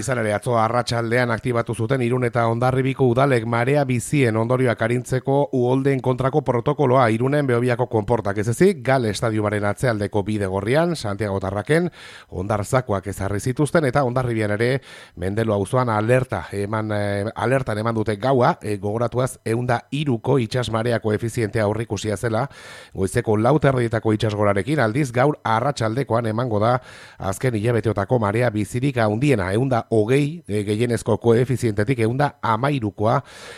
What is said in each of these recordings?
Izan ere, atzo arratsaldean aktibatu zuten Irun eta Hondarribiko udalek marea bizien ondorioak arintzeko uholdeen kontrako protokoloa Irunen Behobiako konportak ez ezik, Gal estadiumaren atzealdeko bidegorrian, Santiago Tarraken, Hondarzakoak ezarri zituzten eta Hondarribian ere Mendelo auzoan alertan eman dute gaua, gogoratuaz 103ko itsas marea koefizientea aurreikusia zela, goizeko 4:00 itsasgorarekin, aldiz gaur arratsaldekoan emango da azken hilabeteotako marea bizirik handiena, 120 gehienezko koefizientetik 113koa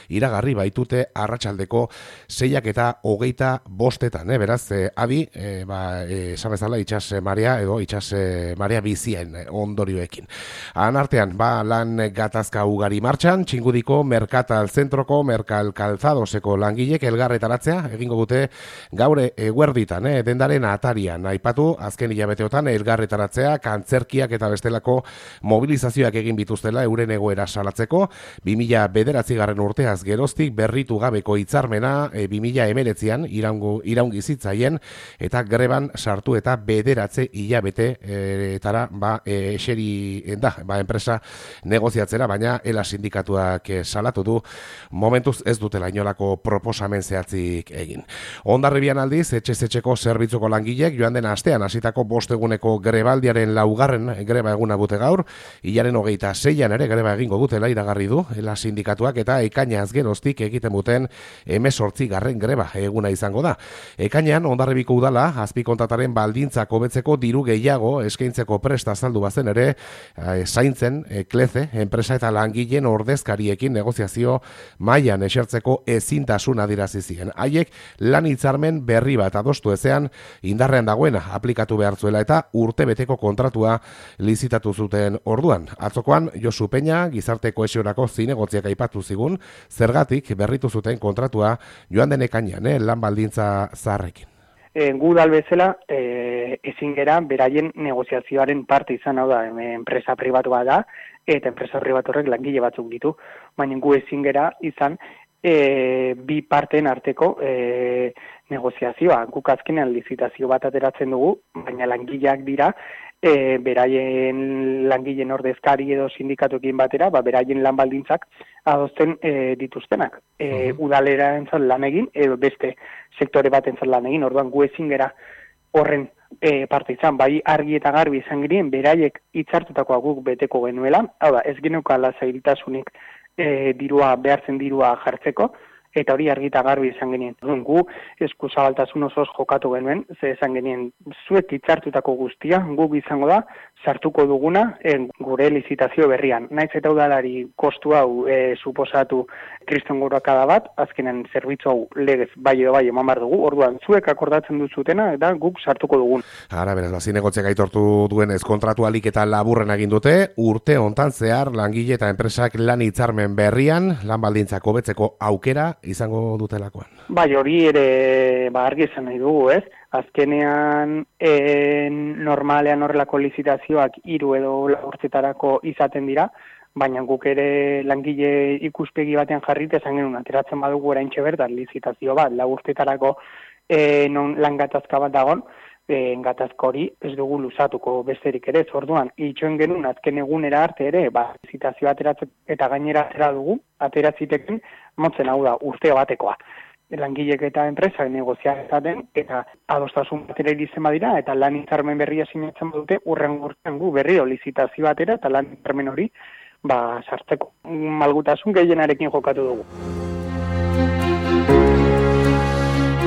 iragarri baitute arratsaldeko 6:25, beraz, adi, esan bezala itsas marea edo itsas marea bizien ondorioekin. Han artean, lan gatazka ugari martxan, Txingudiko Merkatal Zentroko Merkal Calzadoseko langilek elgarretaratzea egingo dute gaur eguerditan, dendaren atarian aipatu azken hilabeteotan elgarretaratzea, kantzerkiak eta bestelako mobilizazioak egin bituztela euren egoera salatzeko, 2009 urteaz geroztik berritu gabeko hitzarmena 2019an iraungi zitzaien eta greban sartu eta 9 hilabetetara eseri da enpresa negoziatzera, baina ELA sindikatuak salatu du momentuz ez dutela inolako proposamen zehatzik egin. Hondarribian aldiz, etxez-etxeko zerbitzuko langilek joan den astean hasitako 5 eguneko grebaldiaren 4. greba eguna dute gaur, hilaren 26an ere greba egingo dutela iragarri du ELA sindikatuak eta ekainaz geroztik egiten duten 18. greba eguna izango da. Ekainean Hondarribiko udala azpikontrataren baldintzak hobetzeko diru gehiago eskaintzeko prest azaldu bazen ere zaintzen Kleze enpresa eta langileen ordezkariekin negoziazio mailan esertzeko ezintasun adierazi zien. Haiek lan hitzarmen berri bat adostu ezean indarrean dagoena aplikatu behar zuela eta urtebeteko kontratua lizitatu zuten orduan. Atzokoan Josu Peña gizarte kohesiorako zinegotziak aipatu zigun, zergatik berritu zuten kontratua joan den ekainean lan baldintza zaharrekin. Gu bezala ezin gera beraien negoziazioaren parte izan, hau da, enpresa pribatua da, eta enpresa pribatu horrek langile batzuk ditu, baina gu ezin gera izan bi parteen arteko negoziazioa. Guk azkenean lizitazio bat ateratzen dugu, baina langileak dira, beraien langileen ordezkari edo sindikatuekin batera, beraien lan baldintzak adosten dituztenak. Udalera entzat lan egin, edo beste sektore bat entzat lan egin, orduan gu ezin gera horren parte izan, bai argi eta garbi izan girien, beraiek hitzartutakoa guk beteko genuela, hau da, ez geneukala zailtasunik behartzen dirua jartzeko, eta hori argi eta garbi izan genien. Gu eskuzabaltasun osoz jokatu genuen, ze esan genien zuek hitzartutako guztia, guk izango da, sartuko duguna gure lizitazio berrian. Naiz eta udalari kostu hau suposatu kriston gorakada bat, azkenen zerbitzu hau legez bai edo bai eman behar dugu, orduan zuek akordatzen duzutena eta guk sartuko dugun. Ara, beraz, zinegotziak aitortu duenez kontratualik eta laburren egin dute, urte hontan zehar langile eta enpresak lan hitzarmen berrian, lan baldintzak hobetzeko aukera izango dutelakoan. Bai, hori ere argi esan nahi dugu, ez? Azkenean normalean horrelako lizitazioak 3 edo 4 urtetarako izaten dira, baina guk ere langile ikuspegi batean jarrita esan genuen ateratzen badugu oraintxe bertan lizitazio bat 4 urtetarako non lan gatazka bat dagon, gatazka hori ez dugu luzatuko besterik ere, orduan itxoen genuen azken egunera arte ere, lizitazioa ateratzen eta gainera ateratziteken motzen, hau da, urte batekoa. Langilek eta enpresak negoziatzen eta adostasun batera iristen badira eta lan hitzarmen berria sinatzen badute hurrengo urtean gu berriro lizitazio batera eta lan hitzarmen hori sartzeko. Malgutasun gehienarekin jokatu dugu.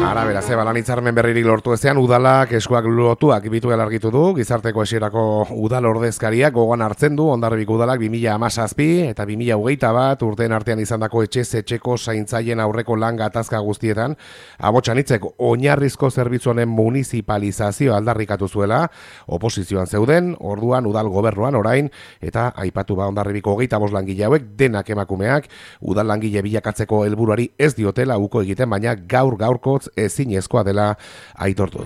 Ara, beraz, lan hitzarmen berririk lortu ezean, udalak eskuak lotuak bituela argitu du, gizarte kohesiorako udal ordezkariak gogoan hartzen du, Hondarribiko udalak 2017 eta 2021 urteen artean izandako etxez-etxeko zaintzaien aurreko lan gatazka guztietan, abotsan hitzek oinarrizko zerbitzu honen municipalizazio aldarrikatu zuela, oposizioan zeuden, orduan udal gobernuan orain, eta aipatu Hondarribiko 25 langile hauek denak emakumeak, udal langile bilakatzeko helburuari ez diotela uko egiten, baina gaurkotz ezinezkoa dela aitortu du.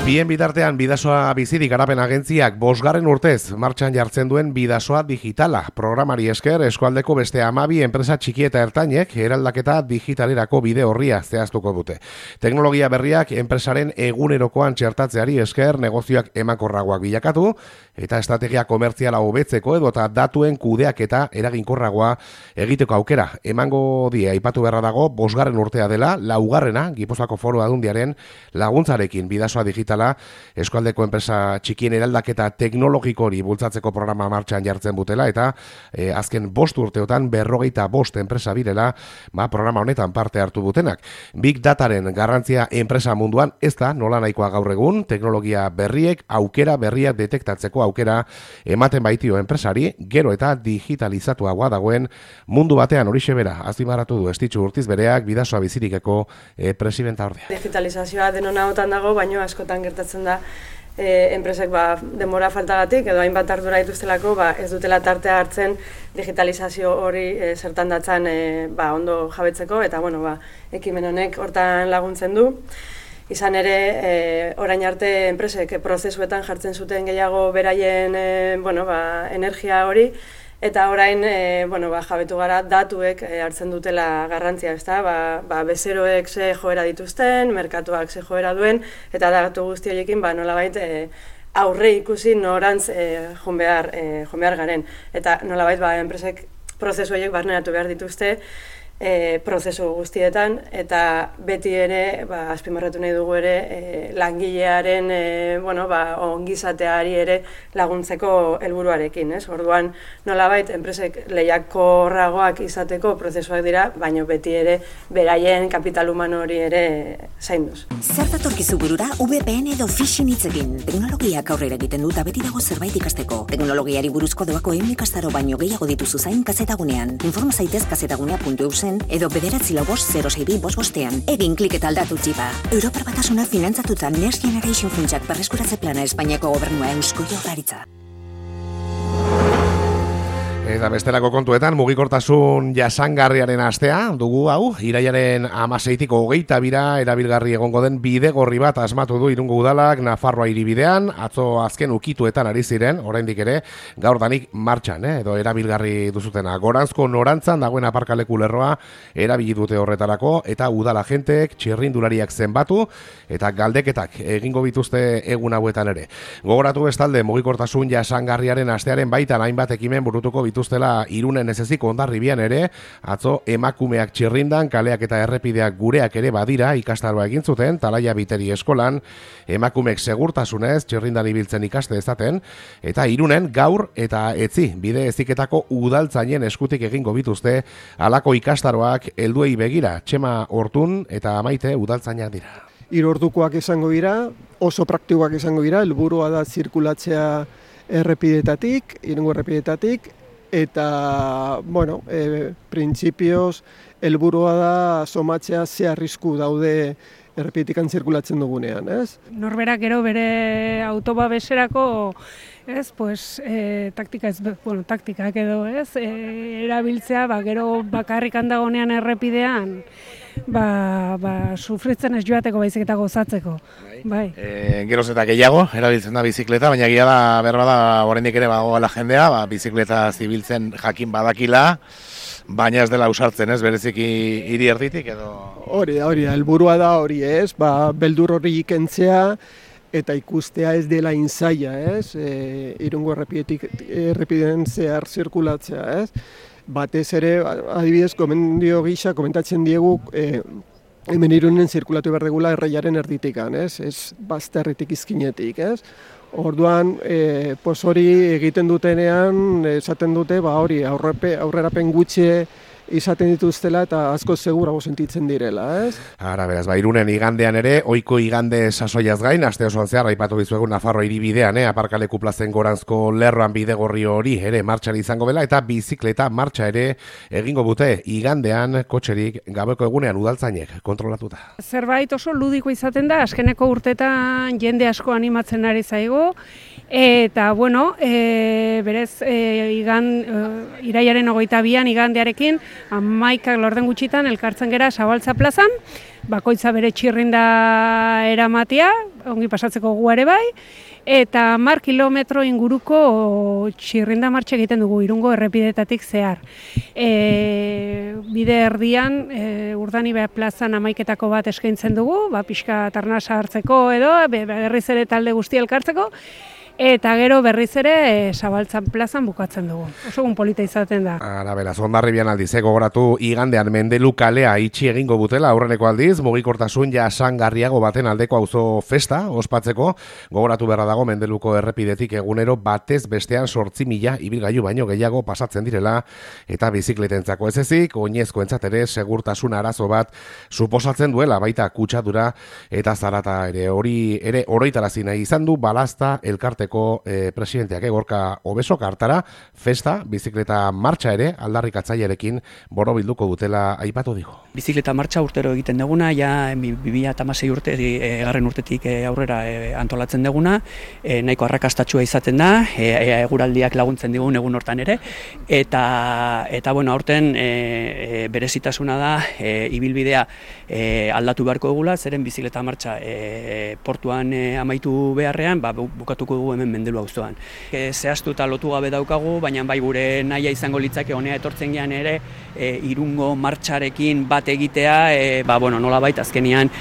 Bien bitartean Bidasoa Bizirik Garapen Agentziak 5. urtez martxan jartzen duen Bidasoa Digitala programari esker eskualdeko beste 12 enpresa txiki eta ertainek eraldaketa digitalerako bide orria zehaztuko dute. Teknologia berriak enpresaren egunerokoan txertatzeari esker negozioak emankorragoak bilakatu eta estrategia komertziala hobetzeko edota datuen kudeaketa eraginkorragoa egiteko aukera emango die. Aipatu beharra dago 5. urtea dela, 4. Gipuzkoako Foru Aldundiaren laguntzarekin Bidasoa Digitala eskualdeko enpresa txikien eraldaketa teknologikori bultzatzeko programa martxan jartzen butela eta azken 5 urteotan 45 enpresa birela programa honetan parte hartu butenak. Big Dataren garrantzia enpresa munduan ez da nola nahikoa gaur egun, teknologia berriek aukera berriak detektatzeko aukera ematen baitio enpresari, gero eta digitalizatuagoa dagoen mundu batean horixe bera azpimarratu du Estitxu Urtiz bereak Bidasoa Bizirikeko presidenta ordea. Digitalizazioa denona hotan dago, baino askotan gertatzen da enpresek denbora faltagatik edo hainbat ardura dituztelako ez dutela tartea hartzen digitalizazio hori zertan datzan ondo jabetzeko eta ekimen honek hortan laguntzen du. Izan ere, orain arte enpresek prozesuetan jartzen zuten gehiago beraien energia hori, eta orain jabetu gara datuek hartzen dutela garrantzia, ezta? Bezeroek ze joera dituzten, merkatuak ze joera duen, eta datu guzti horiekin nolabait aurre ikusi norantz joan behar garen. Eta nolabait enpresek prozesu horiek barneratu behar dituzte, prozesu guztietan eta beti ere azpimarratu nahi dugu ere langilearen ongizateari ere laguntzeko helburuarekin, ez? Orduan nolabait enpresek lehiakorragoak izateko prozesuak dira, baina beti ere beraien kapital humano hori ere zainduz. Zer datorkizu burura VPN edo phishing hitzekin? Teknologiak aurrera egiten dut beti dago zerbait ikasteko. Teknologiari buruzko doako ikastaro baino gehiago dituzu zain kazetagunean. Informa zaitez kazetagunea.eusen edo 9456555 egin klik eta aldatu txipa. Europar Batasuna finantzatuta Next Generation funtsak berreskuratze plana Espainiako gobernua Eusko Jaurlaritza. Eta bestelako kontuetan, mugikortasun jasangarriaren astea, dugu hau, irailaren 16tik 22 erabilgarri egongo den bidegorri bat asmatu du Irungo Udalak Nafarroa hiribidean, atzo azken ukituetan ari ziren, oraindik ere, gaur danik martxan, edo erabilgarri duzutena. Goranzko norantzan dagoen aparkaleku lerroa erabili dute horretarako, eta udal agenteek txirrindulariak zenbatu, eta galdeketak egingo bituzte egun hauetan ere. Gogoratu bestalde, mugikortasun jasangarriaren astearen baitan hainbat ekimen burutuko dituztela Irunen ezeziko Hondarribian ere, atzo emakumeak txirrindan, kaleak eta errepideak gureak ere badira ikastaroa egin zuten, Talaia Biteri eskolan, emakumeek segurtasunez txirrindan ibiltzen ikaste dezaten, eta Irunen gaur eta etzi, bide eziketako udaltzainen eskutik egingo bituzte, halako ikastaroak helduei begira, Txema Hortun eta Maite udaltzainak dira. 3 ordukoak izango dira, oso praktikoak izango dira, helburua da zirkulatzea errepidetatik, Irungo errepidetatik, eta, printzipioz, helburua da somatzea ze arrisku daude errepidetikan zirkulatzen dugunean, ez? Norberak gero bere autobabeserako, taktikak edo, ez? Erabiltzea, gero bakarrik handagonean errepidean, sufritzen ez joateko baizik eta gozatzeko. Bai. Geroz eta gehiago, erabiltzen da bizikleta, baina gila da, berba da, oraindik ere bagoela jendea, bizikleta zibiltzen jakin badakila, baina ez dela usartzen, ez, bereziki hiri erditik edo... Hori da, helburua da hori, ez, beldur hori ikentzea, eta ikustea ez dela inzaia, ez, Irungo errepideen zehar zirkulatzea, ez. Batez ere, adibidez, gomendio gisa, komentatzen diegu, hemen Irunen zirkulatu behar degula erreiaren erditikan, ez bazterritik izkinetik, ez. Orduan, hori egiten dutenean, esaten dute, hori aurrerapen gutxi izaten dituztela eta asko segurago sentitzen direla, ez? Ara, beraz, Irunen igandean ere, ohiko igande sasoiaz gain, aste osoan zehar, aipatu dizuegu Nafarroa hiribidean, aparkaleku plazen Goranzko lerroan bidegorri hori ere martxan izango dela, eta bizikleta martxa ere egingo bute igandean kotxerik gabeko egunean udaltzainek kontrolatuta. Zerbait oso ludiko izaten da, azkeneko urtetan jende asko animatzen ari zaigu, eta, berez, irailaren 22an igandearekin, 11 laurden gutxitan elkartzen gera Zabaltza plazan, bakoitza bere txirrinda eramatea, ongi pasatzeko gu ere bai, eta 10 kilometro inguruko txirrinda martxa egiten dugu Irungo errepideetatik zehar. Bide erdian, Urdanibe plazan 11etako bat eskaintzen dugu, pixka tarnasa hartzeko edo, berriz ere talde guztia elkartzeko, eta gero berriz ere Zabaltzan plazan bukatzen dugu. Oso egun polita izaten da. Ara, beraz, Hondarribian aldiz, gogoratu igandean Mendelu kalea itxi egingo butela aurreneko aldiz, mugikortasun jasangarriago baten aldeko auzo festa ospatzeko, gogoratu beharra dago Mendeluko errepidetik egunero batez bestean 8.000 ibilgailu baino gehiago pasatzen direla, eta bizikletentzako ez ezik, oinezkoentzat ere segurtasun arazo bat suposatzen duela, baita kutsadura eta zarata ere. Hori ere oroitarazi nahi izan du Balazta elkarte presidenteak Gorka Obesok hartara festa, bizikleta martxa ere aldarrikatzailearekin borobilduko dutela aipatu digu. Bizikleta martxa urtero egiten duguna, ja 2016 urte, garren urtetik aurrera antolatzen duguna, nahiko arrakastatsua izaten da, eguraldiak laguntzen digun egun hortan ere, eta bueno, aurten berezitasuna da, ibilbidea aldatu beharko dugula, zeren bizikleta martxa portuan amaitu beharrean, bukatuko dugu hemen Mendelu auzoan. Zehaztu eta lotu gabe daukagu, baina bai gure nahia izango litzake honea etortzen gean ere Irungo martxarekin bat egitea, nolabait azkenean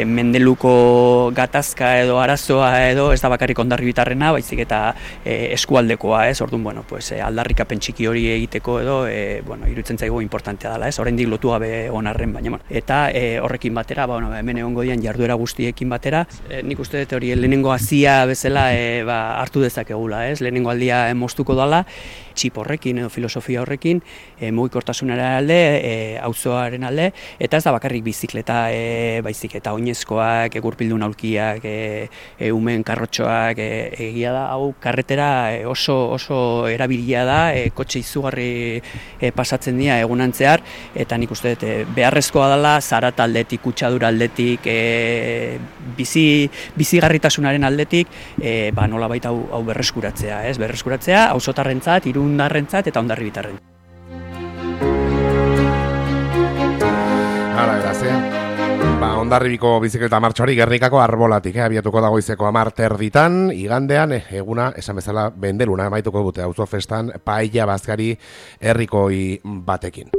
Mendeluko gatazka edo arazoa edo ez da bakarrik Hondarribitarrena, baizik eta eskualdekoa, ez? Orduan, aldarrikapen txiki hori egiteko edo iruditzen zaigu importantea dela, ez? Oraindik lotu gabe onarren, baina eta horrekin batera, hemen egongo dian jarduera guztiekin batera, nik uste dut hori lehenengo hazia bezala hartu dezakegula, ez? Lehenengo aldia moztuko dela, txip horrekin edo filosofia horrekin, mugikortasunaren alde, auzoaren alde, eta ez da bakarrik bizikleta, baizik eta oinezkoak, gurpildun aulkiak, umen karrotxoak, egia da, hau karretera oso erabilia da, kotxe izugarri pasatzen dira egunantzear, eta nik uste dut beharrezkoa dela, zarat aldetik, kutsadura aldetik, bizigarritasunaren aldetik, nolabait hau berreskuratzea, ez? Berreskuratzea, auzotarrentzat, irundarrentzat eta hondarribitarren. Hala, beraz, Hondarribiko bizikleta martxori Gernikako Arbolatik, abiatuko da goizeko 10:00 igandean, eguna, esan bezala, Mendeluna amaituko dute auzo festan paella bazkari herrikoi batekin.